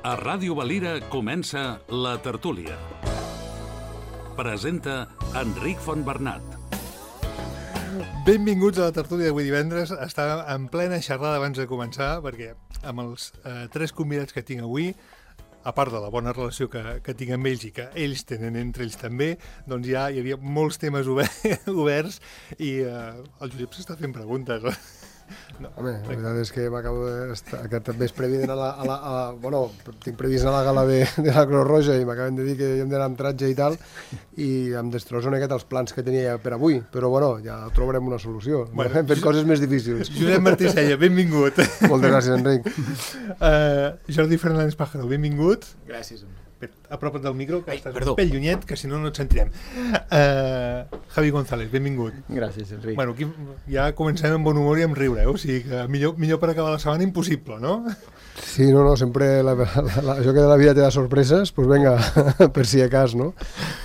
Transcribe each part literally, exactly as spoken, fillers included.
A Ràdio Valira comença La Tertúlia. Presenta Enric Fontbernat. Benvinguts a La Tertúlia d'avui divendres. Estava en plena xerrada abans de començar, perquè amb els eh, tres convidats que tinc avui, a part de la bona relació que, que tinc amb ells i que ells tenen entre ells també, doncs ja hi havia molts temes oberts, oberts i eh, el Josep s'està fent preguntes. No, Home, la veritat és que m'acabo d'estar... Aquest vespre previst a la, a la, a la... Bueno, tinc previst anar a la gala de, de la Creu Roja i m'acaben de dir que hem d'anar amb tratge i tal, i em destrossa una miqueta els plans que tenia per avui, però bueno, ja trobarem una solució. Bueno, hem fet coses més difícils. Josep Martí Sella, benvingut. Moltes gràcies, Enric. Uh, Jordi Fernández Pájaro, benvingut. Gràcies. Apropa't del micro, que Ai, estàs perdó. un pèl llunyet, que si no no et sentirem. Uh, Javi González, benvingut. Gràcies, Enric. Bueno, aquí ja comencem amb bon humor i amb riure, eh? O sigui que millor, millor per acabar la setmana impossible, no? Sí, no, no, sempre la, la, la, això que de la vida te da sorpreses, doncs pues venga, per si a cas, no?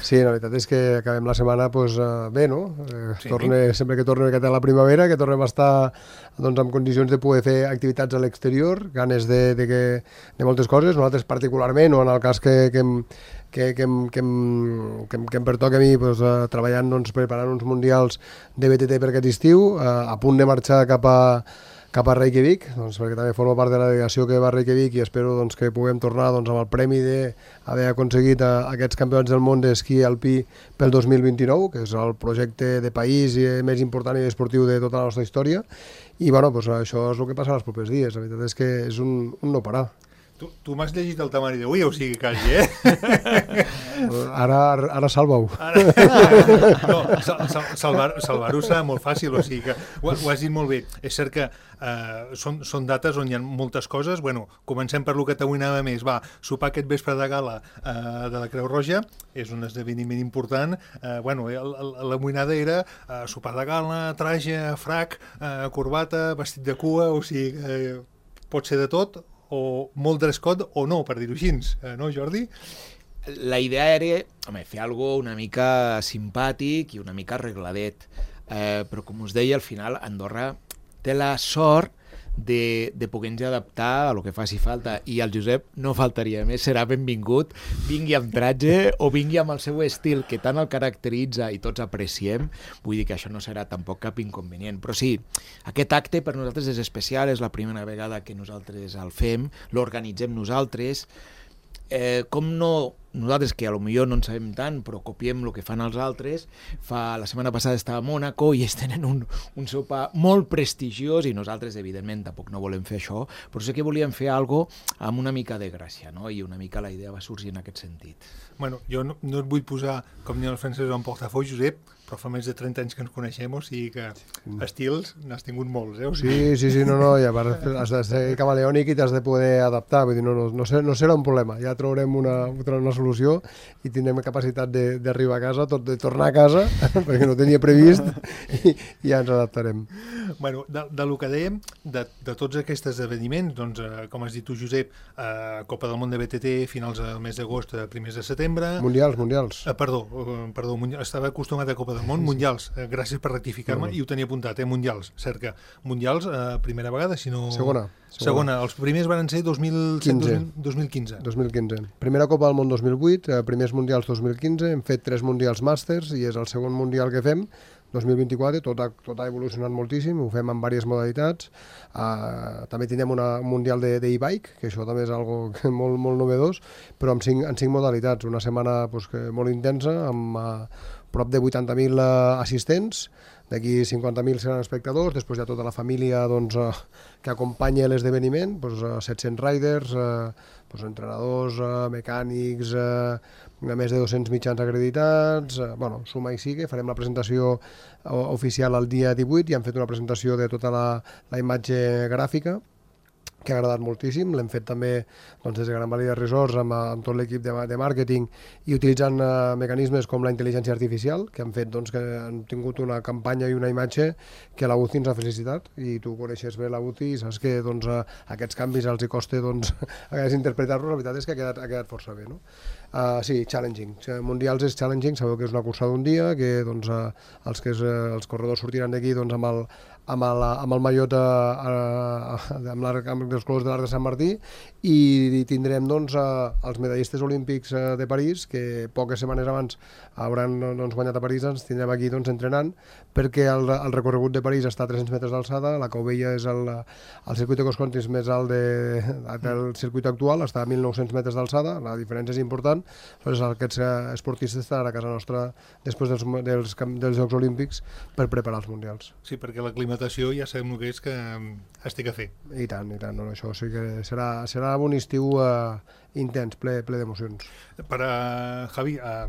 Sí, la veritat és que acabem la setmana pues, uh, bé, no? Eh, sí. Torne, sempre que tornem a la primavera, que tornem a estar doncs, en condicions de poder fer activitats a l'exterior, ganes de, de, que, de moltes coses, nosaltres particularment, o en el cas que, que, hem, que, que, em, que, em, que, em, que em pertoca a mi doncs, uh, treballant, doncs, preparant uns mundials de B T T per aquest estiu, uh, a punt de marxar cap a cap a Reykjavik, doncs, perquè també forma part de la delegació que va a Reykjavik i espero doncs, que puguem tornar doncs, amb el premi d'haver aconseguit a, a aquests campionats del món d'esquí alpí pel dos mil vint-i-nou, que és el projecte de país i més important i esportiu de tota la nostra història. I bueno, doncs, això és el que passa els propers dies. La veritat és que és un, un no parar. Tu, tu m'has llegit el temari d'avui, o sigui, quasi, eh? Ara, ara salva-ho. Ara, no, sal, salvar-ho salvar serà molt fàcil, o sigui que ho, ho has dit molt bé. És cert que eh, són, són dates on hi ha moltes coses. Bueno, comencem per lo que t'avui anava més. Va, sopar aquest vespre de gala eh, de la Creu Roja és un esdeveniment important. Eh, bueno, el, el, la moïnada era eh, sopar de gala, traje, frac, eh, corbata, vestit de cua, o sigui que eh, pot ser de tot, o molt dress code o no, per dir-ho així, eh, no, Jordi? La idea era home, fer alguna cosa una mica simpàtic i una mica arregladet, eh, però com us deia, al final Andorra té la sort de, de poder-nos adaptar a lo que faci falta, i el Josep no faltaria més, serà benvingut, vingui amb tratge o vingui amb el seu estil que tant el caracteritza i tots apreciem. Vull dir que això no serà tampoc cap inconvenient, però sí, aquest acte per nosaltres és especial, és la primera vegada que nosaltres el fem, l'organitzem nosaltres. Eh, com no, nosaltres que a lo millor no en sabem tant, però copiem el que fan els altres. Fa, la setmana passada estava a Mònaco i ells tenen un, un sopar molt prestigiós i nosaltres, evidentment, tampoc no volem fer això, però sí que volíem fer alguna cosa amb una mica de gràcia, no? I una mica la idea va sorgir en aquest sentit. Bueno, jo no, no et vull posar, com ni el francès en portafoi, Josep, però fa més de trenta anys que ens coneixem, o sigui que estils n'has tingut molts, eh? O sigui... Sí, sí, sí, no, no, i a part has de ser camaleònic i t'has de poder adaptar, vull dir, no, no, no, ser, no serà un problema, ja trobarem una, una solució i tindrem capacitat d'arribar a casa, tot, de tornar a casa, perquè no tenia previst, i, i ja ens adaptarem. Bueno, de, de lo que dèiem, de, de tots aquests esdeveniments, doncs, eh, com has dit tu, Josep, eh, Copa del Món de B T T, finals del mes d'agost, primers de setembre... Mundials, mundials. Eh, perdó, eh, perdó, mundial, estava acostumat a Copa del Món, mundials, eh, gràcies per rectificar-me, no, no. I ho tenia apuntat, eh, mundials, cert que mundials, eh, primera vegada, si no... Segona. Segona. Segona, els primers van ser dos mil quinze. dos mil quinze. dos mil quinze. Primera Copa del Món dos mil vuit, eh, primers mundials dos mil quinze, hem fet tres mundials màsters i és el segon mundial que fem, dos mil vint-i-quatre, tot ha, tot ha evolucionat moltíssim, ho fem en diverses modalitats. Uh, també tindrem una, un mundial d'e-bike, que això també és algo que molt, molt novedós, però amb cinc, en cinc modalitats. Una setmana pues, que molt intensa, amb uh, prop de vuitanta mil uh, assistents, d'aquí cinquanta mil seran espectadors, després hi ha tota la família doncs, uh, que acompanya l'esdeveniment, doncs, uh, set-cents riders, uh, doncs, entrenadors, uh, mecànics, uh, més de dos-cents mitjans acreditats, uh, bueno, suma i sigue, farem la presentació uh, oficial el dia divuit i hem fet una presentació de tota la, la imatge gràfica, que ha agradat moltíssim. L'hem fet també doncs, des de Gran Valira Resorts amb, amb tot l'equip de, de màrqueting i utilitzant uh, mecanismes com la intel·ligència artificial, que han fet doncs, que han tingut una campanya i una imatge que la U C I ens ha felicitat, i tu coneixes bé la U C I i saps que doncs, uh, aquests canvis els hi costa doncs, interpretar-los. La veritat és que ha quedat, ha quedat força bé, no? Uh, sí, challenging. Mundials és challenging, sabeu que és una cursa d'un dia, que doncs, uh, els, que és, uh, els corredors sortiran d'aquí doncs, amb el amb el, amb el mallot, eh, amb l'arc els colors de l'Arc de Sant Martí, i tindrem doncs, els medallistes olímpics de París, que poques setmanes abans hauran doncs, guanyat a París, ens tindrem aquí doncs, entrenant, perquè el, el recorregut de París està a tres-cents metres d'alçada, la Cau Vella és el, el circuit de cross-country més alt de, del circuit actual, està a mil nou-cents metres d'alçada, la diferència és important, doncs aquests esportistes estaran a casa nostra després dels, dels, dels Jocs Olímpics per preparar els Mundials. Sí, perquè l'aclimatació ja sabem el que és que es té que fer. I tant, i tant, no, això sí que serà, serà un estiu uh, intens, ple, ple d'emocions. Per a Javi, uh,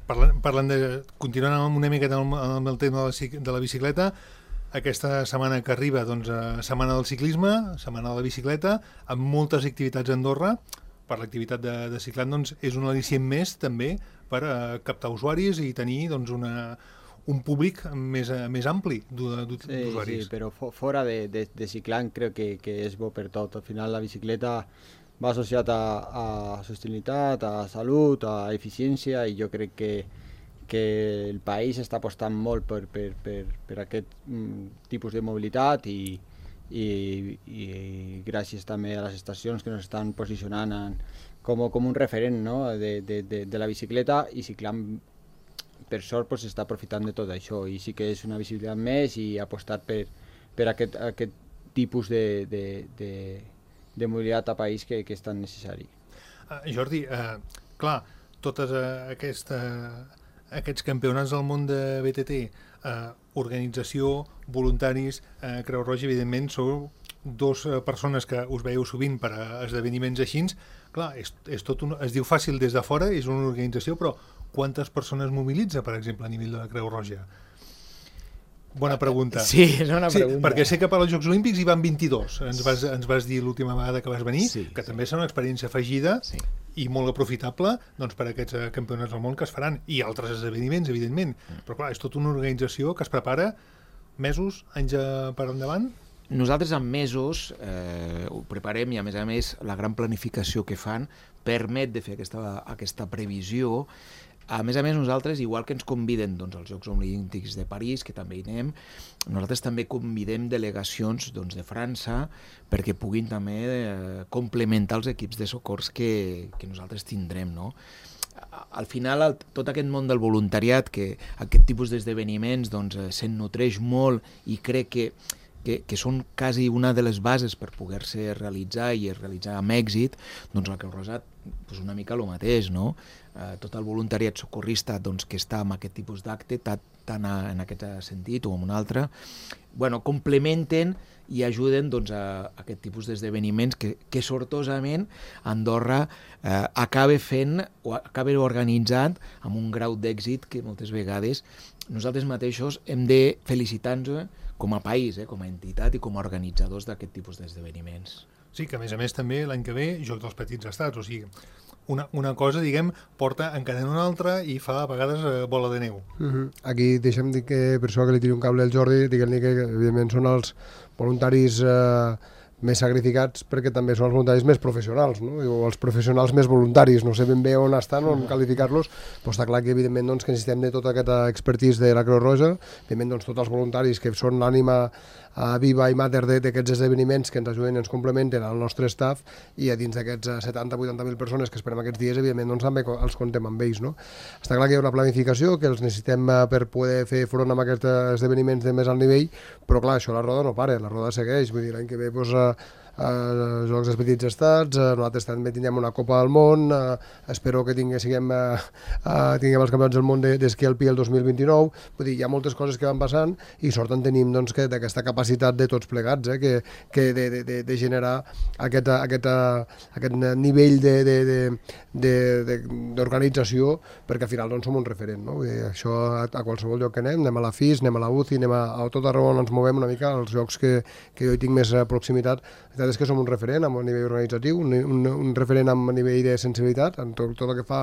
parlant, parlant de, continuant amb una mica amb, amb el tema de la, de la bicicleta, aquesta setmana que arriba, doncs, uh, setmana del ciclisme, setmana de la bicicleta, amb moltes activitats a Andorra. Per l'activitat de, de ciclat, doncs, és un al·licient més també per a captar usuaris i tenir doncs, una, un públic més, més ampli d'usuaris. Sí, sí, però fora de, de, de ciclant crec que, que és bo per tot. Al final la bicicleta va associat a, a sostenibilitat, a salut, a eficiència, i jo crec que, que el país està apostant molt per, per, per, per aquest mm, tipus de mobilitat, i I, i gràcies també a les estacions que ens estan posicionant en, com, com un referent, no? de, de, de, de la bicicleta, i ciclant per sort pues, està aprofitant de tot això, i sí que és una visibilitat més i apostar per, per aquest, aquest tipus de, de, de, de mobilitat a país que, que és tan necessari. Uh, Jordi, uh, clar, totes uh, aquesta, aquests campionats del món de B T T, uh, organització, voluntaris, eh, Creu Roja, evidentment, sou dos eh, persones que us veieu sovint per a esdeveniments així. Clar, és, és tot un, es diu fàcil des de fora, és una organització, però quantes persones mobilitza, per exemple, a nivell de la Creu Roja? Bona pregunta. Sí, és una pregunta. Sí, perquè sé que per als Jocs Olímpics hi van vint-i-dos. Ens vas, ens vas dir l'última vegada que vas venir, sí, que sí. també és una experiència afegida, sí, i molt aprofitable doncs, per a aquests uh, campionats del món que es faran, i altres esdeveniments, evidentment. Mm. Però clar, és tota una organització que es prepara mesos, anys per endavant. Nosaltres en mesos eh, ho preparem, i a més a més la gran planificació que fan permet de fer aquesta, aquesta previsió. A més a més, nosaltres, igual que ens conviden doncs, als Jocs Olímpics de París, que també hi anem, nosaltres també convidem delegacions doncs, de França perquè puguin també eh, complementar els equips de socors que, que nosaltres tindrem, no? Al final, el, tot aquest món del voluntariat, que aquest tipus d'esdeveniments doncs, se'n nutreix molt, i crec que, que, que són quasi una de les bases per poder-se realitzar i realitzar amb èxit, doncs la Creu Roja doncs una mica el mateix, no? Eh, tot el voluntariat socorrista doncs, que està en aquest tipus d'acte, tant en aquest sentit o en un altre, bueno, complementen i ajuden doncs, a, a aquest tipus d'esdeveniments que, que sortosament Andorra eh, acaba fent o acaba organitzant amb un grau d'èxit que moltes vegades nosaltres mateixos hem de felicitar-nos com a país, eh, com a entitat i com a organitzadors d'aquest tipus d'esdeveniments. Sí, que a més a més també l'any que ve Joc dels Petits Estats, o sigui, una, una cosa, diguem, porta encadena una altra i fa a vegades eh, bola de neu. Uh-huh. Aquí deixem dir que, per això que li tiri un cable al Jordi, diguem-li que evidentment són els voluntaris eh, més sacrificats, perquè també són els voluntaris més professionals, no? O els professionals més voluntaris, no sé ben bé on estan, on qualificar-los, però està clar que evidentment doncs, que necessitem de tota aquesta expertise de la Creu Roja, evidentment doncs, tots els voluntaris que són l'ànima uh, viva i mater d'aquests esdeveniments que ens ajuden i ens complementen al nostre staff, i a dins d'aquests uh, setanta a vuitanta mil persones que esperem aquests dies, evidentment doncs, també els contem amb ells. No? Està clar que hi ha una planificació, que els necessitem uh, per poder fer front amb aquests esdeveniments de més alt nivell, però clar, això la roda no para, la roda segueix, vull dir, l'any que ve doncs, uh, Uh, Jocs dels Petits Estats, uh, nosaltres també tindrem una Copa del Món, uh, espero que tinguem, siguem, uh, uh, tinguem els campionats del món d'esquí alpí el dos mil vint-i-nou, vull dir, hi ha moltes coses que van passant i sort en tenim doncs, que d'aquesta capacitat de tots plegats, eh, que, que de, de, de, de generar aquest, aquest, aquest nivell d'organització, perquè al final doncs, som un referent, no? Vull dir, això a, a qualsevol lloc que anem, anem a la F I S, anem a la U C I, anem a, a tot arreu on ens movem una mica, als llocs que, que jo hi tinc més proximitat, és que som un referent a nivell organitzatiu, un, un, un referent a nivell de sensibilitat, en tot, tot el que fa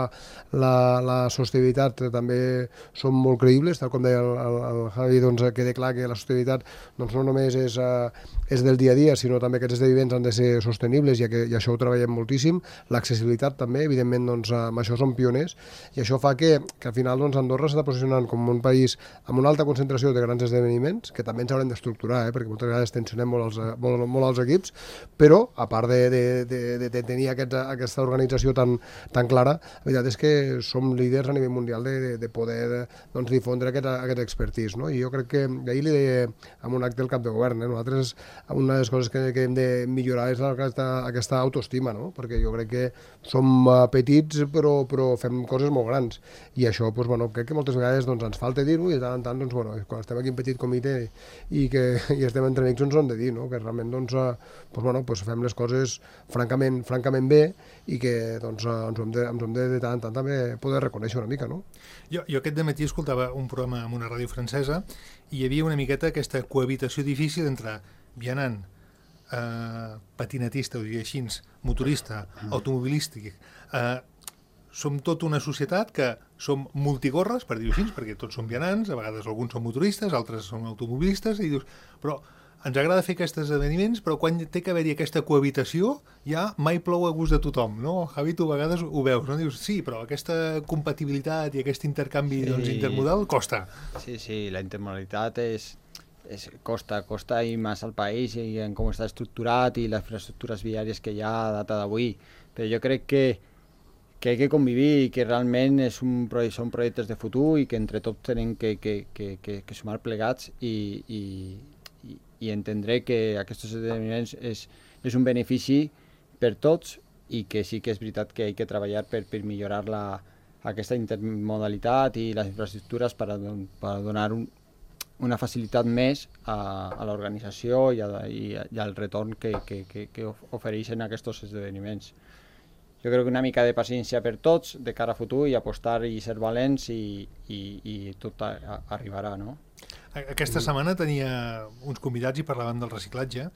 la, la sostenibilitat també som molt creïbles, tal com deia el, el, el Javi, doncs queda clar que la sostenibilitat doncs, no només és, uh, és del dia a dia, sinó també que aquests esdeveniments han de ser sostenibles, i, que, i això ho treballem moltíssim, l'accessibilitat també, evidentment doncs, amb això som pioners, i això fa que, que al final doncs, Andorra s'està posicionant com un país amb una alta concentració de grans esdeveniments, que també ens haurem d'estructurar, eh, perquè moltes vegades tensionem molt els, molt, molt els equips, Però, a part de, de, de, de, de tenir aquesta, aquesta organització tan, tan clara, la veritat és que som líders a nivell mundial de, de, de poder doncs, difondre aquest, aquest expertís, no? I jo crec que, ahir li deia en un acte del cap de govern, eh? Nosaltres, una de les coses que, que hem de millorar és aquesta, aquesta autoestima, no? Perquè jo crec que som petits però, però fem coses molt grans, i això doncs, bueno, crec que moltes vegades doncs, ens falta dir-ho, i de tant en tant doncs, bueno, quan estem aquí en petit comitè i, que, i estem entre amics ens ho hem de dir, no? Que realment doncs, doncs, bueno, doncs fem les coses francament, francament bé, i que doncs, ens ho hem de, ens ho hem de, de tant en tant també poder reconèixer una mica, no? Jo, jo aquest dematí escoltava un programa en una ràdio francesa i hi havia una miqueta aquesta cohabitació difícil entre vianant, eh, patinatista, ho diria així, motorista, automobilístic. Eh, som tota una societat que som multigorres, per dir-ho així, perquè tots som vianants, a vegades alguns són motoristes, altres són automobilistes, i dius, però ens agrada fer aquests esdeveniments, però quan té que haver-hi aquesta cohabitació, ja mai plou a gust de tothom, no? Javi, tu a vegades ho veus, no? Dius, sí, però aquesta compatibilitat i aquest intercanvi sí. doncs, intermodal costa. Sí, sí, la intermodalitat és, és costa, costa i més al país i en com està estructurat i les infraestructures viàries que hi ha a data d'avui. Però jo crec que que hay que convivir i que realment és un, són projectes de futur i que entre tots tenim que, que, que, que, que sumar plegats i, i, i, i entendre que aquests esdeveniments és, és un benefici per tots i que sí que és veritat que hi ha que treballar per, per millorar la, aquesta intermodalitat i les infraestructures per, a, per a donar un, una facilitat més a, a l'organització i, a, i, i al retorn que, que, que, que ofereixen aquests esdeveniments. Jo crec que una mica de paciència per tots de cara a futur i apostar i ser valents i, i, i tot a, a, arribarà, no? Aquesta setmana tenia uns convidats i parlàvem del reciclatge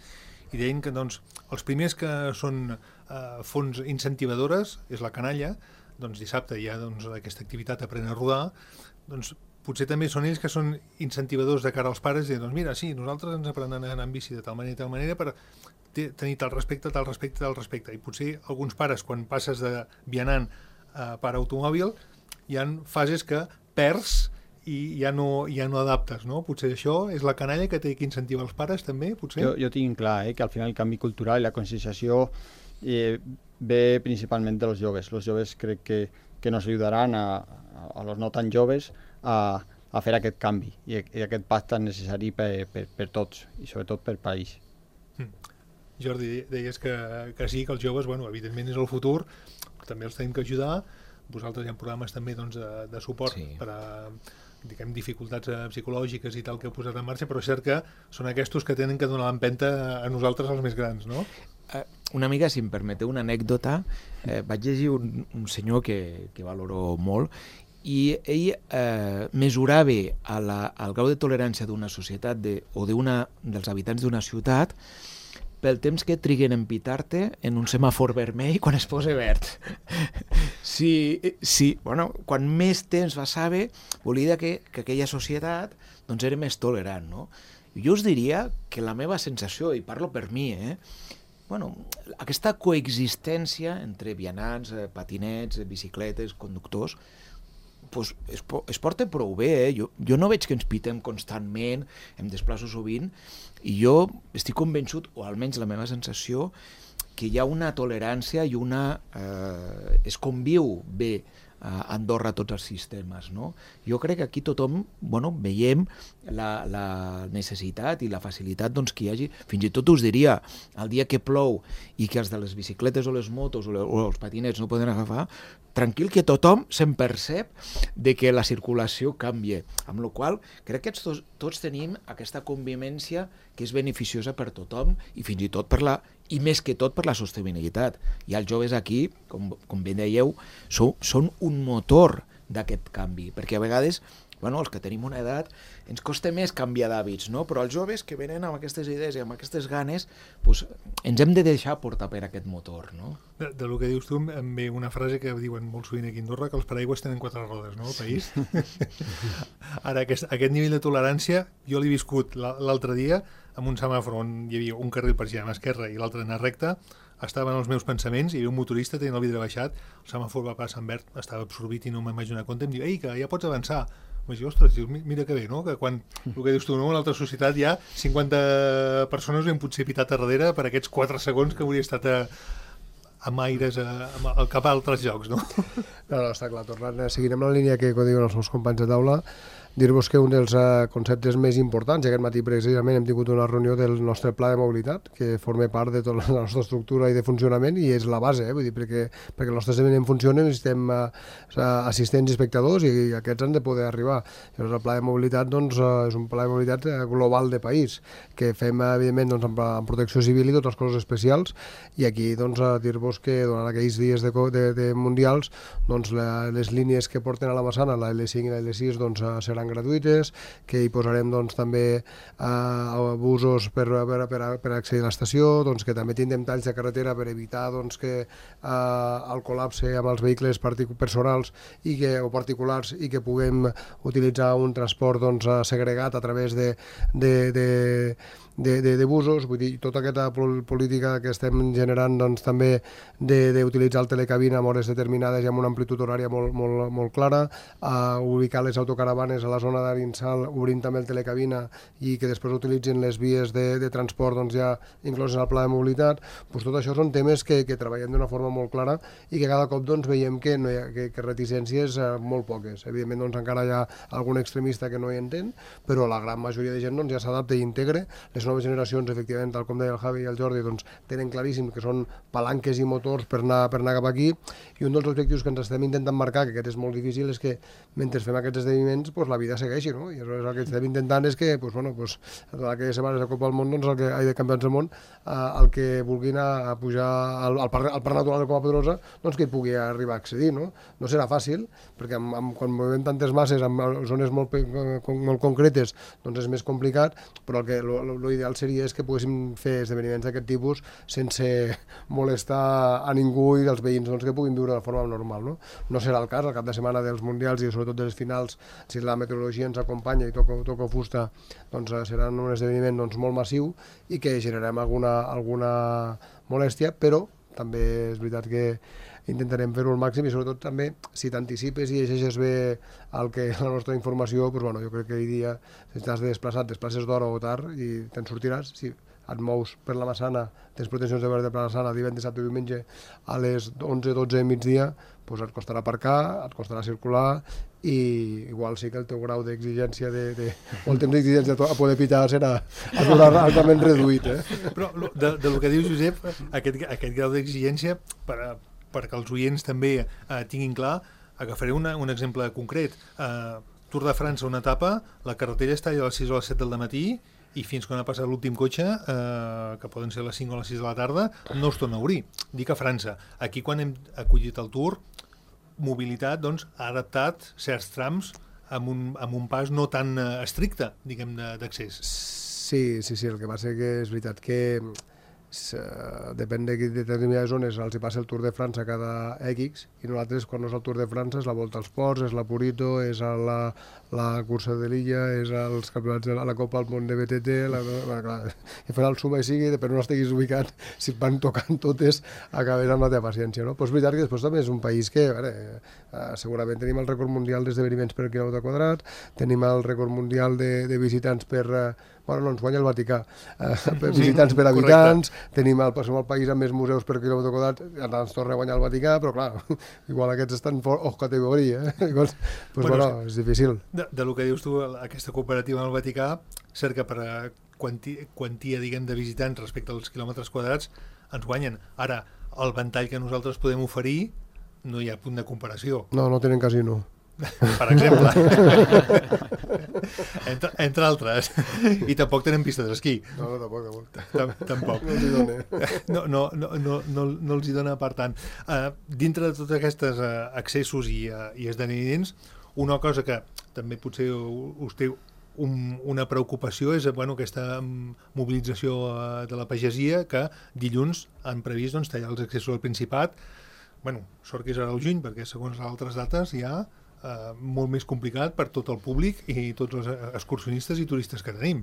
i deien que doncs, els primers que són eh, fons incentivadores és la canalla, doncs dissabte hi ha doncs, aquesta activitat Aprèn a rodar, doncs potser també són ells que són incentivadors de cara als pares i dir, doncs mira, sí, nosaltres ens aprenem a anar en bici de tal manera i tal manera per tenir tal respecte, tal respecte, tal respecte. I potser alguns pares, quan passes de vianant a pare automòbil, hi ha fases que perds i ja no, ja no adaptes, no? Potser això és la canalla que té que incentivar els pares, també, potser? Jo, jo tinc clar eh, que al final el canvi cultural i la conscienciació eh, ve principalment dels joves. Els joves crec que, que nos ajudaran a, a, a los no tan joves a, a fer aquest canvi i, i aquest pacte necessari per, per, per tots i sobretot per país. Mm. Jordi, deies que, que sí, que els joves, bueno, evidentment és el futur, però també els tenim que ajudar. Vosaltres hi ha programes també doncs, de, de suport sí. per a diguem, dificultats psicològiques i tal que heu posat en marxa, però és cert que són aquests que tenen que donar l'empenta a nosaltres, els més grans, no? Uh, una mica, si em permeteu una anècdota, eh, vaig llegir un, un senyor que, que valoro molt i ell eh, mesurava a la, al grau de tolerància d'una societat de, o d'una dels habitants d'una ciutat pel temps que triguen a empitar-te en un semàfor vermell quan es posa verd. Si, si, bueno, quan més temps passava, volia dir que, que aquella societat doncs, era més tolerant, no? Jo us diria que la meva sensació, i parlo per mi, eh, bueno, aquesta coexistència entre vianants, patinets, bicicletes, conductors, pues es, es porta prou bé, eh? jo, jo no veig que ens pitem constantment, em desplaço sovint, i jo estic convençut, o almenys la meva sensació, que hi ha una tolerància i una... Eh, es conviu bé a Andorra tots els sistemes, no? Jo crec que aquí tothom, bueno, veiem la, la necessitat i la facilitat doncs, que hi hagi, fins i tot us diria, el dia que plou i que els de les bicicletes o les motos o, le, o els patinets no poden agafar, tranquil que tothom se'n percep de que la circulació canvia, amb la qual crec que tots, tots tenim aquesta convivència que és beneficiosa per tothom i fins i tot per la i més que tot per la sostenibilitat. I els joves aquí, com, com bé dèieu, són, són un motor d'aquest canvi, perquè a vegades, bueno, els que tenim una edat, ens costa més canviar d'hàbits, no? Però els joves que venen amb aquestes idees i amb aquestes ganes, pues, ens hem de deixar portar per aquest motor, no? De, de lo que dius tu, em ve una frase que diuen molt sovint aquí a Andorra, que els paraigües tenen quatre rodes, no?, al país. Ara, aquest, aquest nivell de tolerància, jo l'he viscut l'altre dia amb un semàfor on hi havia un carril per girar a l'esquerra i l'altre anar recte, estaven els meus pensaments, hi havia un motorista tenint el vidre baixat, el semàfor va passar en verd, estava absorbit i no me'n vaig donar compte, em diu, ei, que ja pots avançar. Vaig dir, ostres, mira que bé, no? Que quan, el que dius tu, no? En l'altra societat hi ha cinquanta persones ben potser pitat a darrere per aquests quatre segons que hauria estat a, amb aires a, a, cap a altres llocs, no? No, no, està clar, tornant, seguirem la línia que diuen els meus companys de taula, dir-vos que un dels uh, conceptes més importants, i aquest matí precisament hem tingut una reunió del nostre pla de mobilitat, que forma part de tota la nostra estructura i de funcionament, i és la base, eh? Vull dir, perquè, perquè el nostre esdeveniment funcioni necessitem uh, assistents i espectadors, i, i aquests han de poder arribar. Llavors el pla de mobilitat doncs, uh, és un pla de mobilitat uh, global de país, que fem evidentment doncs, amb, amb protecció civil i totes les coses especials, i aquí doncs, uh, dir-vos que durant aquells dies de, de, de mundials doncs, la, les línies que porten a la Massana, la L cinc i la L sis, doncs, uh, seran gratuïtes, que hi posarem doncs, també eh, busos per, per, per, per accedir a l'estació, doncs, que també tindrem talls de carretera per evitar doncs, que eh, el col·lapse amb els vehicles personals i que, o particulars i que puguem utilitzar un transport doncs, segregat a través de, de, de De, de, de busos, vull dir, tota aquesta política que estem generant doncs, també d'utilitzar el telecabina en hores determinades i amb una amplitud horària molt, molt, molt clara, uh, ubicar les autocaravanes a la zona d'Arinsal, obrint també el telecabina i que després utilitzin les vies de, de transport doncs, ja incloses al pla de mobilitat. Pues tot això són temes que, que treballem d'una forma molt clara i que cada cop doncs, veiem que, no hi ha, que, que reticències uh, molt poques. Evidentment doncs, encara hi ha algun extremista que no hi entén, però la gran majoria de gent doncs, ja s'adapta i integra. Les noves generacions, efectivament, tal com deia el Javi i el Jordi, doncs, tenen claríssim que són palanques i motors per anar, per anar cap aquí, i un dels objectius que ens estem intentant marcar, que aquest és molt difícil, és que mentre fem aquests esdeveniments pues, la vida segueixi, no? I el que estem intentant és que pues, bueno, pues, aquelles setmanes de Copa del Món, doncs, el que, ai, de Campionats del Món, eh, el que vulgui anar a pujar al, al, parc, al Parc Natural de Coma Pedrosa, doncs que hi pugui arribar a accedir, no? No serà fàcil, perquè amb, amb, quan movem tantes masses en zones molt, molt concretes, doncs és més complicat, però el que l'ideal seria és que poguéssim fer esdeveniments d'aquest tipus sense molestar a ningú i dels veïns doncs, que puguin viure de forma normal. No? No serà el cas, al cap de setmana dels Mundials i sobretot dels finals, si la meteorologia ens acompanya i toca, toca fusta, doncs serà un esdeveniment doncs, molt massiu i que generarem alguna, alguna molèstia, però també és veritat que intentarem fer-ho al màxim i sobretot també si t'anticipes i llegeixes bé el que la nostra informació, doncs, bueno, jo crec que hi dia si t'has de desplaçar, et desplaces d'hora o tard i te'n sortiràs, si et mous per la Massana, tens pretensions de veure per la Massana divendres, dissabte i diumenge a les onze dotze del migdia, doncs et costarà aparcar, et costarà circular i igual sí que el teu grau d'exigència de, de, o el temps d'exigència a poder pitar serà altament reduït. Eh? Però de, de lo que diu Josep, aquest, aquest grau d'exigència per a perquè els oients també eh, tinguin clar, agafaré una, un exemple concret. Eh, Tour de França, una etapa, la carretera està a les sis o les set del matí i fins quan ha passat l'últim cotxe, eh, que poden ser les cinc o les sis de la tarda, no es torna a obrir. Dic a França. Aquí, quan hem acollit el Tour, mobilitat doncs, ha adaptat certs trams amb un, amb un pas no tan eh, estricte, diguem, d'accés. Sí, sí, sí, el que passa que és veritat que Uh, depèn de determinades zones els hi passa el Tour de França cada X i nosaltres quan no és el Tour de França és la Volta als Ports, és la Purito, és la, la cursa de l'Illa, és els campionats de la, la Copa al Món de B T T, la, la, clar, i fer el suma i sigui, per no estiguis ubicat, si et van tocant totes acabes amb la teva paciència, no? Però és veritat que després també és un país que, a veure, uh, segurament tenim el rècord mundial d'esdeveniments per quilòmetre quadrat, tenim el rècord mundial de, de visitants per uh, bueno, no, ens guanya el Vaticà, eh, per visitants per habitants, correcte. Tenim el, som el país amb més museus per quilòmetre quadrat, ara ens torna a guanyar el Vaticà, però clar, igual aquests estan fora, oh, categoria, eh? Llavors, pues, bueno, bueno, és difícil. De, de lo que dius tu, aquesta cooperativa amb el Vaticà, cert que per a quanti, quantia, diguem, de visitants respecte als quilòmetres quadrats, ens guanyen. Ara, el ventall que nosaltres podem oferir, no hi ha punt de comparació. No, no tenen casino. Per exemple. entre, entre altres. I tampoc tenen pistes d'esquí. No, no, tampoc. tampoc. Tampoc. No els hi dona. No, no, no, no, no, no els hi dona per tant. Uh, dintre de tots aquests uh, accessos i, uh, i esdeveniments, una cosa que també potser us té un, una preocupació és bueno, aquesta mobilització uh, de la pagesia que dilluns han previst doncs, tallar els accessos al Principat. Bueno, sort que és ara al juny, perquè segons altres dates hi ha Uh, molt més complicat per tot el públic i tots els excursionistes i turistes que tenim.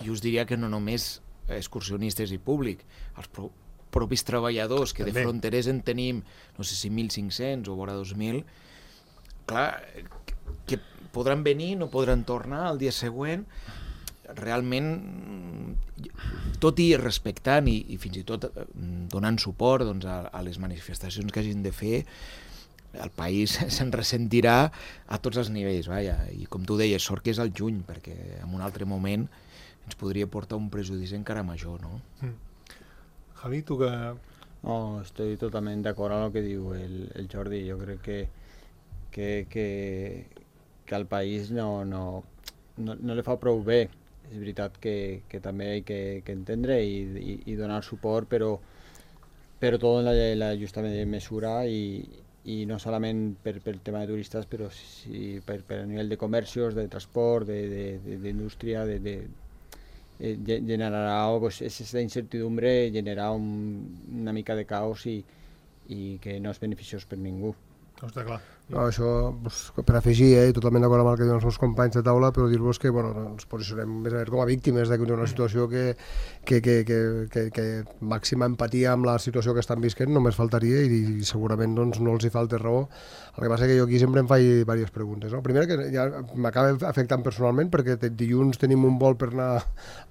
Jo us diria que no només excursionistes i públic, els pro propis treballadors, que també de fronterers en tenim, no sé si mil cinc-cents o vora dos mil, clar, que podran venir, no podran tornar al dia següent. Realment, tot i respectant i, i fins i tot donant suport doncs, a, a les manifestacions que hagin de fer, el país se'n ressentirà a tots els nivells, vaja. I com tu deies, sort que és al juny, perquè en un altre moment ens podria portar un prejudici encara major, no? Mm. Javi, tu que... No, estoy totalment d'acord amb el que diu el, el Jordi. Jo crec que, que, que, que al país no, no, no, no li fa prou bé. És veritat que, que també hi ha que, que entendre i, i, i donar suport, però, però tot en la, la justa mesura i, i no solament per, per tema de turistes, però sí per, per a nivell de comerços, de transport, d'indústria, de, de, de, de, generarà pues, aquesta incertidumbre, generarà un, una mica de caos i, i que no és beneficiós per ningú. No, està clar. No, això, doncs, per afegir, eh, totalment d'acord amb el que diuen els meus companys de taula, però dir-vos que bueno, ens posicionem més a veure com a víctimes d'una situació que, que, que, que, que, que màxima empatia amb la situació que estan visquent, només faltaria, i, i segurament doncs, no els hi falta raó. El que passa que jo aquí sempre em faig diverses preguntes. No? Primera, que ja m'acaba afectant personalment, perquè dilluns tenim un vol per anar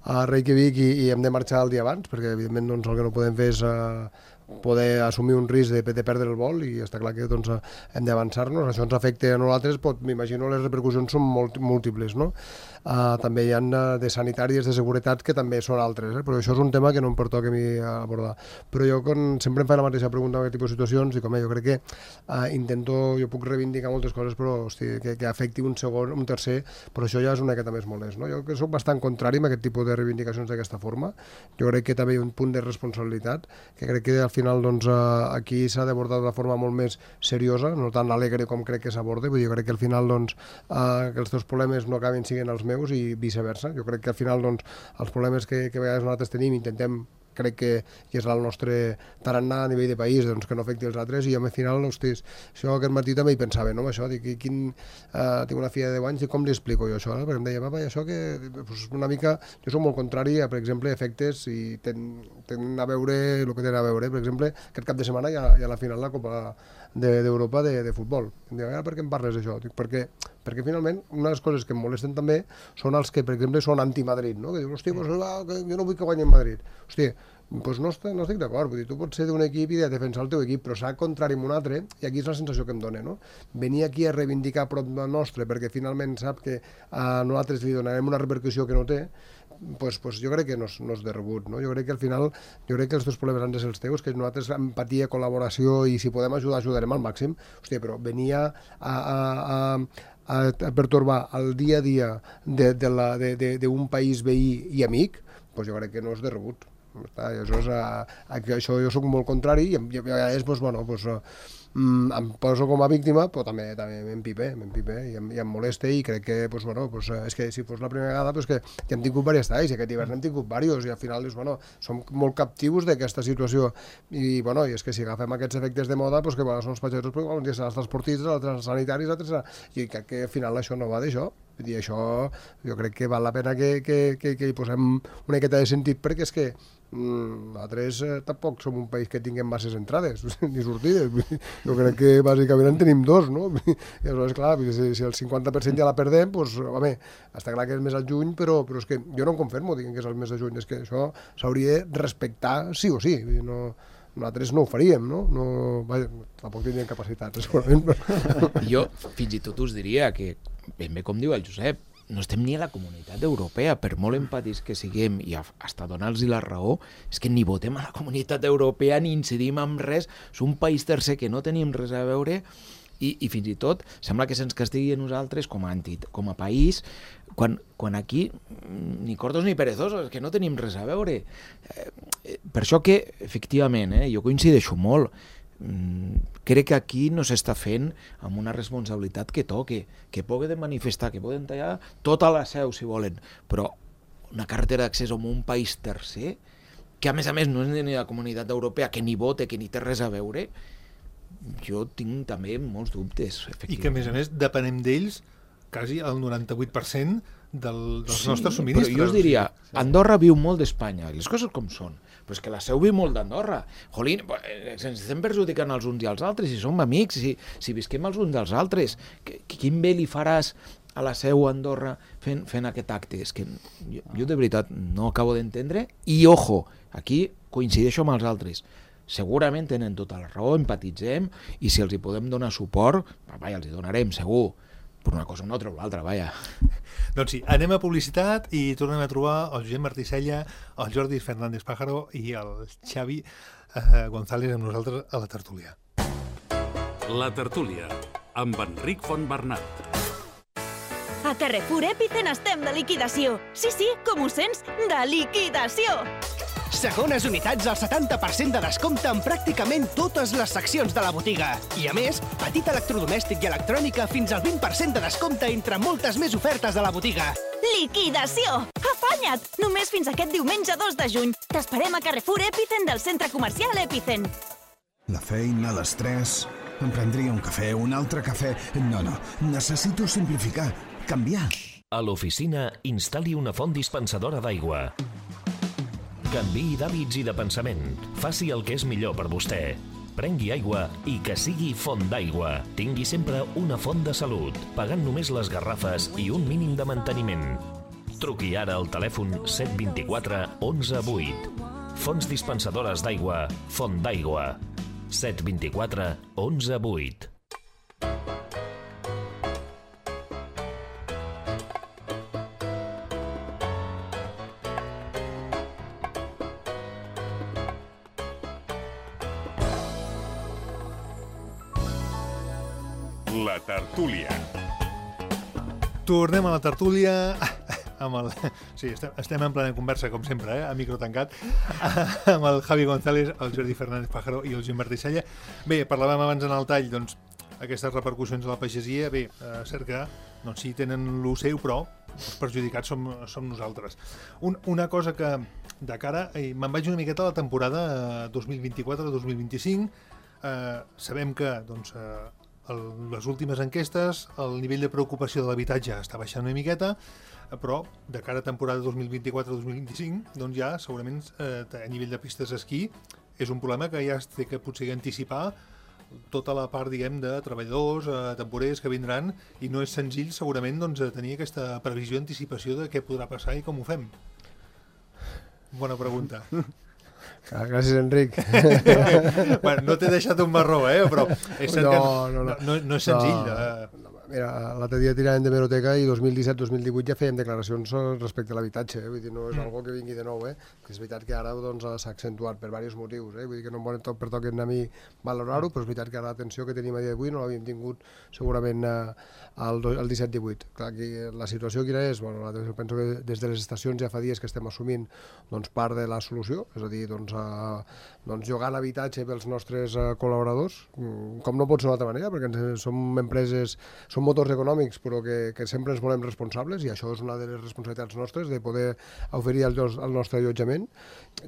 a Reykjavik i, i hem de marxar el dia abans, perquè evidentment doncs, el que no podem fer és uh, poder assumir un risc de, de perdre el vol, i està clar que doncs, hem d'avançar-nos. Això ens afecta a nosaltres, m'imagino les repercussions són molt, múltiples, no? Uh, també hi ha de sanitàries, de seguretat, que també són altres, eh? Però això és un tema que no em pertoca a mi abordar. Però jo con, sempre em faig la mateixa pregunta en aquest tipus de situacions, i com eh, jo crec que uh, intento, jo puc reivindicar moltes coses, però hosti, que, que afecti un segon, un tercer, però això ja és una miqueta més molest, no? Jo que soc bastant contrari a aquest tipus de reivindicacions d'aquesta forma. Jo crec que també hi ha un punt de responsabilitat, que crec que al final doncs, uh, aquí s'ha d'abordar d'una forma molt més seriosa, no tan alegre com crec que s'aborda. Vull dir, jo crec que al final doncs, uh, que els teus problemes no acabin siguent els meus i viceversa. Jo crec que al final doncs, els problemes que, que a vegades nosaltres tenim intentem, crec que és el nostre tarannà a nivell de país, doncs, que no afecti els altres, i al final, hostis, això aquest matí també hi pensava, no? Això, dic, quin, uh, tinc una filla de deu anys, i com li explico jo això? No? Perquè em deia, papa, això que pues, una mica, jo soc molt contrari a, per exemple, efectes i tenen ten a veure el que tenen a veure. Per exemple, aquest cap de setmana hi ha, hi ha la final de la Copa d'Europa de, de, de futbol. Em diu, per què em parles d'això? Dic, perquè, perquè finalment una de les coses que em molesten també són els que, per exemple, són anti-Madrid, no? Que diuen, hòstia, pues, ah, que jo no vull que guanyi Madrid. Hòstia, pues no, estic, no estic d'acord, vull dir, tu pots ser d'un equip i de defensar el teu equip, però s'ha contrari amb un altre, i aquí és la sensació que em dona, no? Venir aquí a reivindicar prop del nostre, perquè finalment sap que a nosaltres li donarem una repercussió que no té, pues, pues jo crec que no és, no és de rebut, no? Jo crec que al final, jo crec que els teus problemes han de ser els teus, que nosaltres empatia, col·laboració, i si podem ajudar, ajudarem al màxim. Hòstia, però venir a, a, a, a, a pertorbar el dia a dia d'un país veí i amic, pues jo crec que no és de rebut. Està, això, és, a, a, això jo soc molt contrari, i, i a vegades pues, bueno, pues, mm, em poso com a víctima, però també, també m'empipe, m'empipe i, em, i em molesta, i crec que, pues, bueno, pues, és que si fos la primera vegada, pues, que ja hem tingut diversos talls, i aquest hivern hem tingut diversos, i al final és, bueno, som molt captius d'aquesta situació, i, bueno, i és que si agafem aquests efectes de moda, pues, que bueno, són els pagesos, però un dia seran els transportistes, altres els sanitaris, altres seran... i crec que al final això no va d'això. I això jo crec que val la pena que, que, que, que hi posem una miqueta de sentit, perquè és que mm, nosaltres eh, tampoc som un país que tinguem masses entrades ni sortides. Jo crec que bàsicament en tenim dos, no? I aleshores, clar, si, si el cinquanta per cent ja la perdem, doncs, home, està clar que és més al juny, però, però és que jo no em confermo dient que és el mes de juny, és que això s'hauria de respectar sí o sí, no... Nosaltres no ho faríem, no? no vaja, tampoc tindríem capacitats, segurament. Però... Jo fins i tot us diria que, ben bé com diu el Josep, no estem ni a la comunitat europea, per molt empatis que siguem, i hasta donar-los la raó, és que ni votem a la comunitat europea ni incidim en res, és un país tercer que no tenim res a veure, i, i fins i tot sembla que se'ns castigui a nosaltres com a, antit, com a país, quan, quan aquí ni cortos ni perezosos, que no tenim res a veure. Eh, per això que, efectivament, eh, jo coincideixo molt, mm, crec que aquí no s'està fent amb una responsabilitat que toque, que poden manifestar, que poden tallar tota la seu, si volen, però una carretera d'accés a un país tercer, que a més a més no és ni la comunitat europea, que ni vote, que ni té res a veure, jo tinc també molts dubtes, efectivament. I que a més a més depenem d'ells quasi el noranta-vuit per cent del, dels sí, nostres subministres. Però jo us diria, Andorra viu molt d'Espanya, les coses com són, però és que la seu viu molt d'Andorra. Jolín, ens estem perjudicant els uns i els altres, si som amics, si, si visquem els uns dels altres, que, quin bé li faràs a la Seu a Andorra fent, fent aquest acte. És que jo, jo de veritat no acabo d'entendre. I, ojo, aquí coincideixo amb els altres. Segurament tenen tota la raó, empatitzem, i si els hi podem donar suport, vaja, els hi donarem, segur. Per una cosa o una altra o l'altra, vaja. Doncs sí, anem a publicitat i tornem a trobar el Josep Martí Sella, el Jordi Fernández Pájaro i el Xavi eh, González amb nosaltres a la tertúlia. La tertúlia, amb Enric Fontbernat. A Carrefour Epicen estem de liquidació. Sí, sí, com ho sents, de liquidació. Segones unitats al setanta per cent de descompte en pràcticament totes les seccions de la botiga. I a més, petit electrodomèstic i electrònica fins al vint per cent de descompte entre moltes més ofertes de la botiga. Liquidació! Afanya't! Només fins aquest diumenge dos de juny. T'esperem a Carrefour Epicen del centre comercial Epicen. La feina, l'estrès... Em prendria un cafè, un altre cafè... No, no, necessito simplificar, canviar. A l'oficina, instal·li una font dispensadora d'aigua. Canviï d'hàbits i de pensament. Faci el que és millor per vostè. Prengui aigua i que sigui font d'aigua. Tingui sempre una font de salut, pagant només les garrafes i un mínim de manteniment. Truqui ara al telèfon set dos quatre onze vuit. Fonts dispensadores d'aigua, Font d'aigua. set dos quatre onze vuit. La tertúlia. Tornem a la tertúlia amb el... Sí, estem, estem en plena conversa, com sempre, eh? A micro tancat, amb el Javi González, el Jordi Fernández Pájaro i el Josep Martí Sella. Bé, parlàvem abans en el tall, doncs, aquestes repercussions a la pagesia, bé, eh, cert que doncs, sí, tenen lo seu, però els perjudicats som, som nosaltres. Un, una cosa que, de cara, eh, me'n vaig una miqueta a la temporada eh, dos mil vint-i-quatre dos mil vint-i-cinc, eh, sabem que, doncs, eh, el, les últimes enquestes, el nivell de preocupació de l'habitatge està baixant una miqueta, però de cara a temporada dos mil vint-i-quatre dos mil vint-i-cinc, doncs ja segurament eh, a nivell de pistes d'esquí és un problema que ja es té que potser anticipar tota la part, diguem, de treballadors, eh, temporers que vindran, i no és senzill segurament doncs, tenir aquesta previsió, anticipació de què podrà passar i com ho fem. Bona pregunta. Ah, gràcies, Enric. Bueno, no t'he deixat un marró, eh? Però és cert no, que no, no, no, no és senzill. No, Eh? Mira, l'altre dia tiràvem de Meroteca i dos mil disset dos mil divuit ja fèiem declaracions respecte a l'habitatge, eh? Vull dir, no és algo que vingui de nou, eh? Que és veritat que ara doncs, s'ha accentuat per diversos motius, eh? Vull dir que no em poden tot per tot a mi valorar-ho, però és veritat que ara l'atenció que tenim a dia d'avui no l'havíem tingut segurament eh, al, al disset divuit. Clar, que la situació quina és? Bueno, penso que des de les estacions ja fa dies que estem assumint doncs, part de la solució, és a dir, doncs, eh, doncs jugant habitatge pels nostres eh, col·laboradors, com no pot ser d'una altra manera, perquè ens, som empreses, som motors econòmics, però que, que sempre ens volem responsables, i això és una de les responsabilitats nostres, de poder oferir el, el nostre allotjament.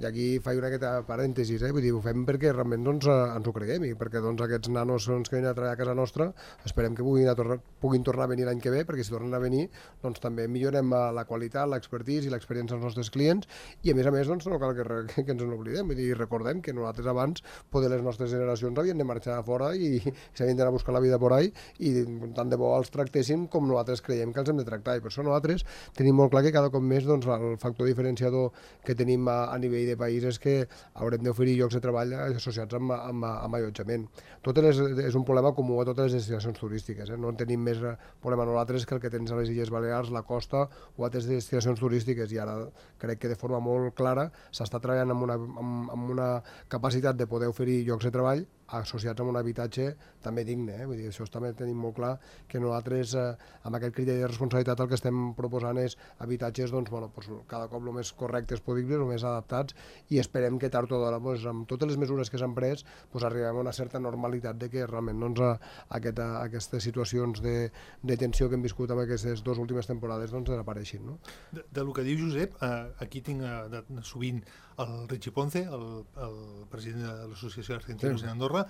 I aquí faig una miqueta parèntesis, eh? Vull dir, ho fem perquè realment doncs, ens ho creguem, i perquè doncs, aquests nanos doncs, que venen a treballar a casa nostra, esperem que puguin, a tornar, puguin tornar a venir l'any que ve, perquè si tornen a venir, doncs també millorem la qualitat, l'expertise i l'experiència dels nostres clients, i a més a més doncs, no cal que, que, que ens n'oblidem, vull dir, recordem que nosaltres abans, poder les nostres generacions havien de marxar fora i, i s'havien d'anar a buscar la vida por ahí, i tant de bo els tractéssim com nosaltres creiem que els hem de tractar, i per això nosaltres tenim molt clar que cada cop més doncs, el factor diferenciador que tenim a, a nivell de país és que haurem d'oferir llocs de treball associats amb, amb, amb allotjament. Tot és, és un problema comú a totes les destinacions turístiques, eh? No en tenim més problema nosaltres que el que tens a les Illes Balears, la costa o altres destinacions turístiques, i ara crec que de forma molt clara s'està treballant amb una, amb, amb una capacitat de poder oferir llocs de treball associats amb un habitatge també digne, eh? Vull dir, això també tenim molt clar que nosaltres eh, amb aquest criteri de responsabilitat el que estem proposant és habitatges doncs, bueno, doncs, cada cop el més correctes possibles, el més adaptats, i esperem que tard o d'hora doncs, amb totes les mesures que s'han pres doncs, arribem a una certa normalitat de que realment doncs, a, aquest, a aquestes situacions de, de tensió que hem viscut amb aquestes dues últimes temporades doncs, desapareixin. No? De, de lo que diu Josep, eh, aquí tinc eh, de, sovint el Richie Ponce, el, el president de l'Associació d'Argentinos sí. d'Andorra,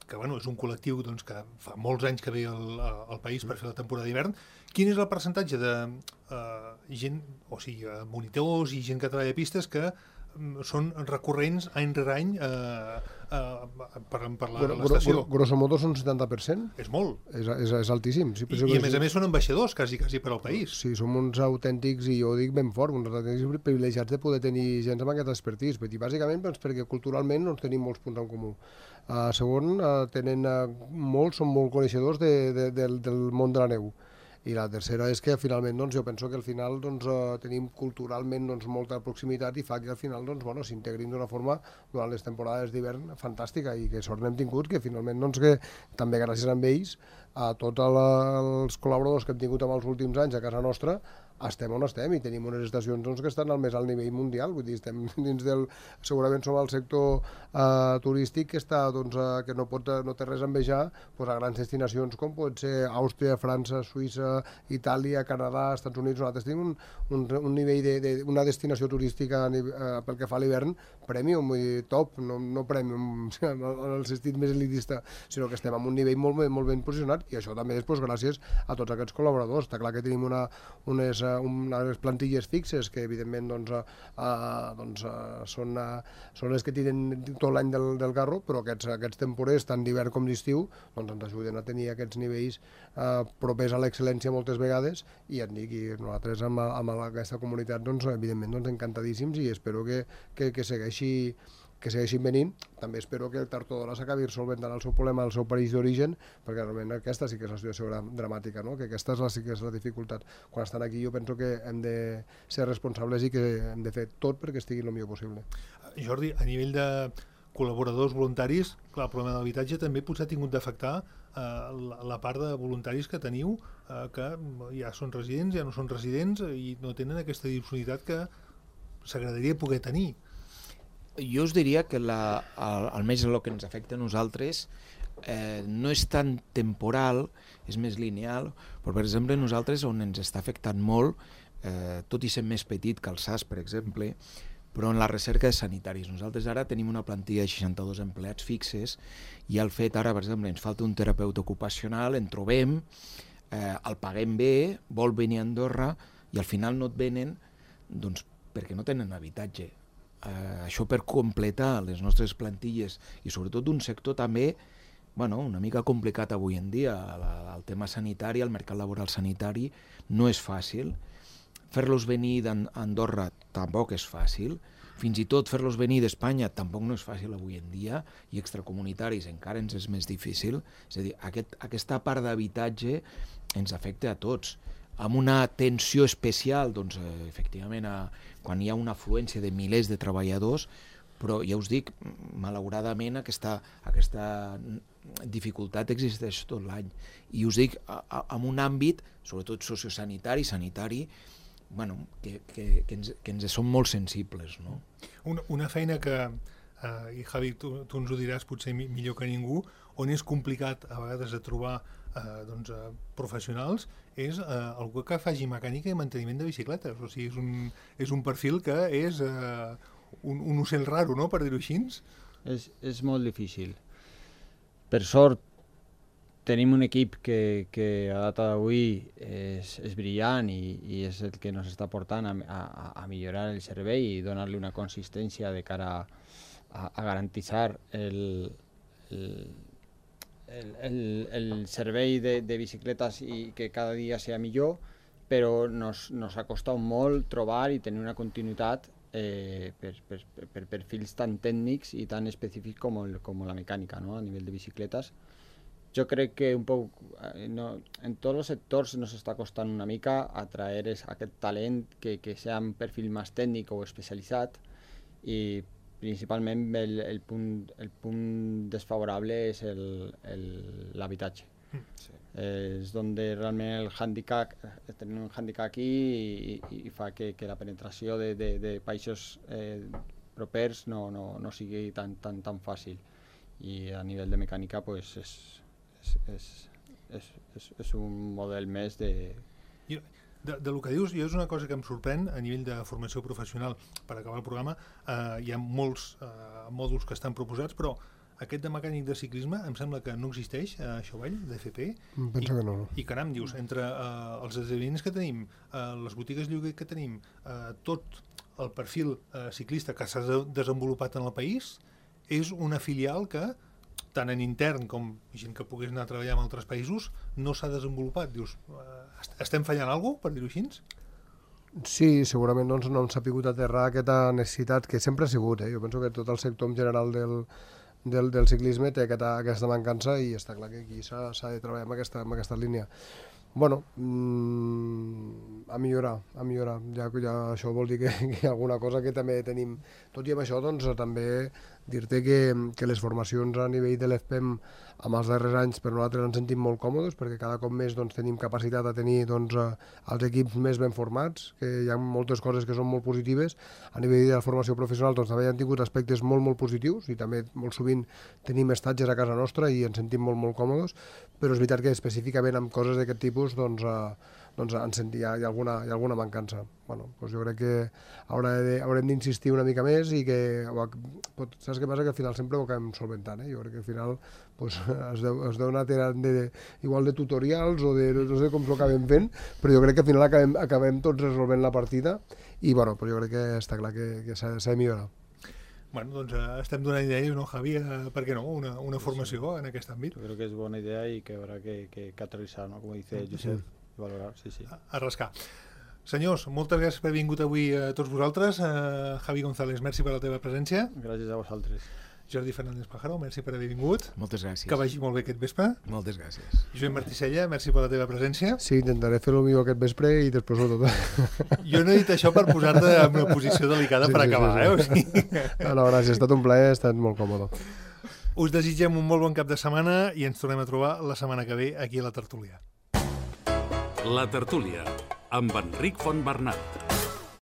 que bueno, és un col·lectiu doncs, que fa molts anys que ve al, al país per fer la temporada d'hivern. Quin és el percentatge de eh, gent, o sigui, monitors i gent que treballa a pistes que són recurrents any rere any eh, eh, per, per la- Bueno, l'estació. gro- grosso modo són setanta per cent. És molt. És, és, és altíssim. Sí, I, I a més a més són ambaixadors, quasi, quasi per al país. Sí, som uns autèntics, i jo ho dic ben fort, uns autèntics privilegiats de poder tenir gent amb aquest expertís. Vull dir, bàsicament doncs, perquè culturalment doncs, tenim molts punts en comú. Uh, segon, uh, tenen uh, molts, són molt coneixedors de, de, del, del món de la neu. I la tercera és que finalment doncs, jo penso que al final doncs, uh, tenim culturalment doncs, molta proximitat i fa que al final doncs, bueno, s'integrin d'una forma durant les temporades d'hivern fantàstica, i que sort n'hem tingut, que finalment doncs, que també gràcies a ells, a tots els col·laboradors que hem tingut en els últims anys a casa nostra, estem on estem i tenim unes estacions doncs, que estan al més alt nivell mundial. Vull dir, estem dins del... Segurament som el sector uh, turístic que, està, doncs, uh, que no, pot, no té res a envejar doncs, a grans destinacions com pot ser Àustria, França, Suïssa, Itàlia, Canadà, Estats Units. Nosaltres tenim un, un, un nivell de, de, una destinació turística uh, pel que fa a l'hivern premium, vull dir, top, no, no premium en el sentit més elitista, sinó que estem en un nivell molt, molt ben posicionat, i això també és doncs, gràcies a tots aquests col·laboradors. Està clar que tenim una, unes unes plantilles fixes que evidentment doncs, uh, doncs, uh, són, uh, són les que tiren tot l'any del, del carro, però aquests, aquests temporers tant d'hivern com d'estiu doncs, ens ajuden a tenir aquests nivells uh, propers a l'excel·lència moltes vegades, i et dic, i nosaltres amb, amb aquesta comunitat doncs, evidentment doncs, encantadíssims, i espero que, que, que segueixi que segueixin venint. També espero que el Tartodora s'acabi solventant el seu problema al seu país d'origen, perquè realment aquesta sí que és la situació dramàtica, no? Que aquesta és la, sí que és la dificultat. Quan estan aquí jo penso que hem de ser responsables i que hem de fer tot perquè estigui el millor possible. Jordi, a nivell de col·laboradors voluntaris, clar, el problema de l'habitatge també potser ha tingut d'afectar eh, la, la part de voluntaris que teniu, eh, que ja són residents, ja no són residents i no tenen aquesta disponibilitat que s'agradaria poder tenir. Jo us diria que la, el, almenys el que ens afecta a nosaltres eh, no és tan temporal, és més lineal, però per exemple nosaltres on ens està afectant molt, eh, tot i ser més petit que el S A S per exemple, però en la recerca de sanitaris. Nosaltres ara tenim una plantilla de seixanta-dos empleats fixes, i el fet ara, per exemple, ens falta un terapeuta ocupacional, en trobem, eh, el paguem bé, vol venir a Andorra, i al final no et venen doncs, perquè no tenen habitatge. Uh, això per completar les nostres plantilles, i sobretot un sector també bueno, una mica complicat avui en dia. La, el tema sanitari, el mercat laboral sanitari no és fàcil, fer-los venir d'Andorra tampoc és fàcil, fins i tot fer-los venir d'Espanya tampoc no és fàcil avui en dia, i extracomunitaris encara ens és més difícil. És a dir, aquest, aquesta part d'habitatge ens afecta a tots, amb una tensió especial, doncs, eh, efectivament, a, quan hi ha una afluència de milers de treballadors, però ja us dic, malauradament aquesta, aquesta dificultat existeix tot l'any. I us dic, a, a, en un àmbit, sobretot sociosanitari, sanitari, bueno, que, que, que, ens, que ens som molt sensibles. No? Una, una feina que, eh, i Javi, tu, tu ens ho diràs potser millor que ningú, on és complicat a vegades de trobar eh, doncs, eh, professionals, és eh, algú que faci mecànica i manteniment de bicicletes. O sigui, és un, és un perfil que és eh, un, un ocell raro, no?, per dir-ho així. És, és molt difícil. Per sort, tenim un equip que, que a data d'avui és, és brillant i, i és el que ens està portant a, a, a millorar el servei i donar-li una consistència de cara a, a garantitzar el, el, el, el, el servei de, de bicicletes i que cada dia sigui millor, però nos, nos ha costat molt trobar i tenir una continuïtat eh, per, per, per, per perfils tan tècnics i tan específics com, el, com la mecànica, no?, a nivell de bicicletes. Jo crec que un poc, no, en tots els sectors nos està costant una mica atraer aquest talent que, que sigui un perfil més tècnic o especialitzat, i principalment el, el, punt, el punt desfavorable és l'habitatge. Mm, sí. eh, és on realment el handicap, tenim un handicap aquí i, i, i fa que, que la penetració de, de, de països eh, propers no, no, no sigui tan, tan, tan fàcil. I a nivell de mecànica pues, és, és, és, és, és, és un model més de... Jo, de, de lo que dius, jo és una cosa que em sorprèn a nivell de formació professional. Per acabar el programa, eh, hi ha molts eh, mòduls que estan proposats, però aquest de mecànic de ciclisme em sembla que no existeix a Xovell, d'F P. Penso I, que no. I caram, dius, entre eh, els esdeveniments que tenim, eh, les botigues lloguer que tenim, eh, tot el perfil eh, ciclista que s'ha desenvolupat en el país és una filial que, tant en intern com gent que pogués anar a treballar en altres països, no s'ha desenvolupat. Dius, eh, estem fallant alguna cosa, per dir-ho així? Sí, segurament doncs, no hem sabut aterrar aquesta necessitat que sempre ha sigut. Eh? Jo penso que tot el sector en general del, del, del ciclisme té aquesta, aquesta mancança i està clar que aquí s'ha de treballar en aquesta, en aquesta línia. Bueno, mmm, a millorar, a millorar. Ja, ja això vol dir que, que alguna cosa que també tenim. Tot i amb això, doncs, també dir-te que, que les formacions a nivell de l'E F P E M amb els darrers anys per nosaltres ens sentim molt còmodes perquè cada cop més doncs, tenim capacitat de tenir doncs, els equips més ben formats, que hi ha moltes coses que són molt positives. A nivell de la formació professional doncs, també han tingut aspectes molt, molt positius i també molt sovint tenim estatges a casa nostra i ens sentim molt, molt còmodes, però és veritat que específicament amb coses d'aquest tipus doncs, eh, doncs en sentir, hi, ha, hi, ha alguna, hi ha alguna mancança. Bueno, doncs jo crec que haurem d'insistir una mica més i que, pot, saps què passa? Que al final sempre ho acabem solventant, eh? Jo crec que al final pues, es, deu, es deu anar tirant de, igual de tutorials o de no sé com s'ho acabem fent, però jo crec que al final acabem, acabem tots resolvent la partida i bueno, pues jo crec que està clar que, que s'ha de millorar. Bueno, doncs eh, estem donant idees, no, Javi? Eh, per què no? Una, una formació en aquest àmbit. Jo crec que és bona idea i que haurà que, que, que aterrissar, ¿no? Com dice Josep, sí. Valorar, sí, sí. A, a rascar. Senyors, moltes gràcies per haver vingut avui a tots vosaltres. Uh, Javi González, merci per la teva presència. Gràcies a vosaltres. Jordi Fernández Pájaro, merci per haver vingut. Moltes gràcies. Que vagi molt bé aquest vespre. Moltes gràcies. Josep Martissella, merci per la teva presència. Sí, intentaré fer-ho millor aquest vespre i després ho tot. Jo no he dit això per posar-te en una posició delicada sí, per sí, acabar, sí, sí. eh? O sigui... no, no, gràcies, ha estat un plaer, ha estat molt còmode. Us desitgem un molt bon cap de setmana i ens tornem a trobar la setmana que ve aquí a la Tertúlia. La Tertúlia, amb Enric Fontbernat.